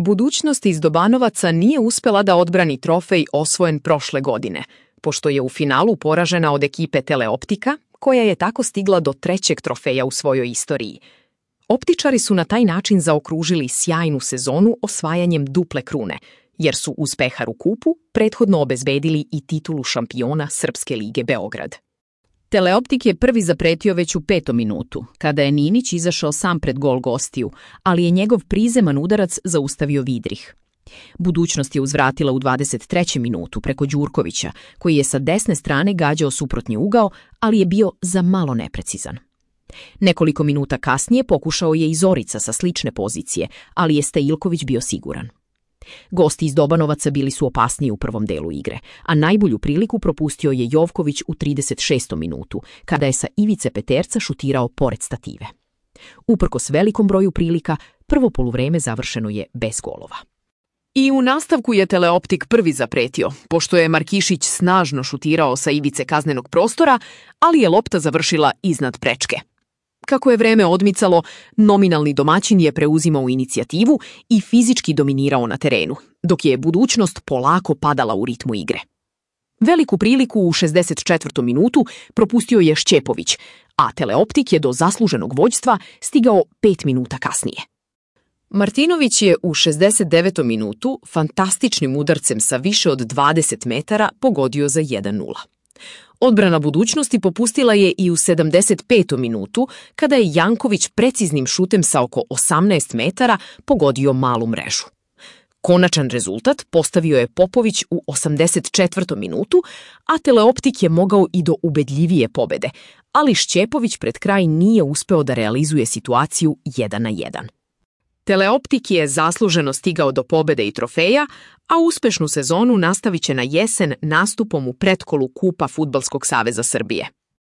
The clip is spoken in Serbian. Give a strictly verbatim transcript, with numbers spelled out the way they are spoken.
Budućnost iz Dobanovaca nije uspela da odbrani trofej osvojen prošle godine, pošto je u finalu poražena od ekipe Teleoptika, koja je tako stigla do trećeg trofeja u svojoj istoriji. Optičari su na taj način zaokružili sjajnu sezonu osvajanjem duple krune, jer su uz Peharu kupu prethodno obezbedili i titulu šampiona Srpske lige Beograd. Teleoptik je prvi zapretio već u petom minutu, kada je Ninić izašao sam pred gol gostiju, ali je njegov prizeman udarac zaustavio Vidrih. Budućnost je uzvratila u dvadeset trećem minutu preko Đurkovića, koji je sa desne strane gađao suprotni ugao, ali je bio za malo neprecizan. Nekoliko minuta kasnije pokušao je i Zorica sa slične pozicije, ali je Stajilković bio siguran. Gosti iz Dobanovaca bili su opasniji u prvom delu igre, a najbolju priliku propustio je Jovković u trideset šestom minutu, kada je sa ivice peterca šutirao pored stative. Uprkos velikom broju prilika, prvo poluvreme završeno je bez golova. I u nastavku je Teleoptik prvi zapretio, pošto je Markišić snažno šutirao sa ivice kaznenog prostora, ali je lopta završila iznad prečke. Kako je vreme odmicalo, nominalni domaćin je preuzimao inicijativu i fizički dominirao na terenu, dok je Budućnost polako padala u ritmu igre. Veliku priliku u šezdeset četvrtom minutu propustio je Šćepović, a Teleoptik je do zasluženog vođstva stigao pet minuta kasnije. Martinović je u šezdeset devetom minutu fantastičnim udarcem sa više od dvadeset metara pogodio za jedan nula. Odbrana Budućnosti popustila je i u sedamdeset petom minutu, kada je Janković preciznim šutem sa oko osamnaest metara pogodio malu mrežu. Konačan rezultat postavio je Popović u osamdeset četvrtom minutu, a Teleoptik je mogao i do ubedljivije pobede, ali Šćepović pred kraj nije uspeo da realizuje situaciju jedan na jedan. Teleoptik je zasluženo stigao do pobede i trofeja, a uspešnu sezonu nastavit će na jesen nastupom u pretkolu Kupa Fudbalskog saveza Srbije.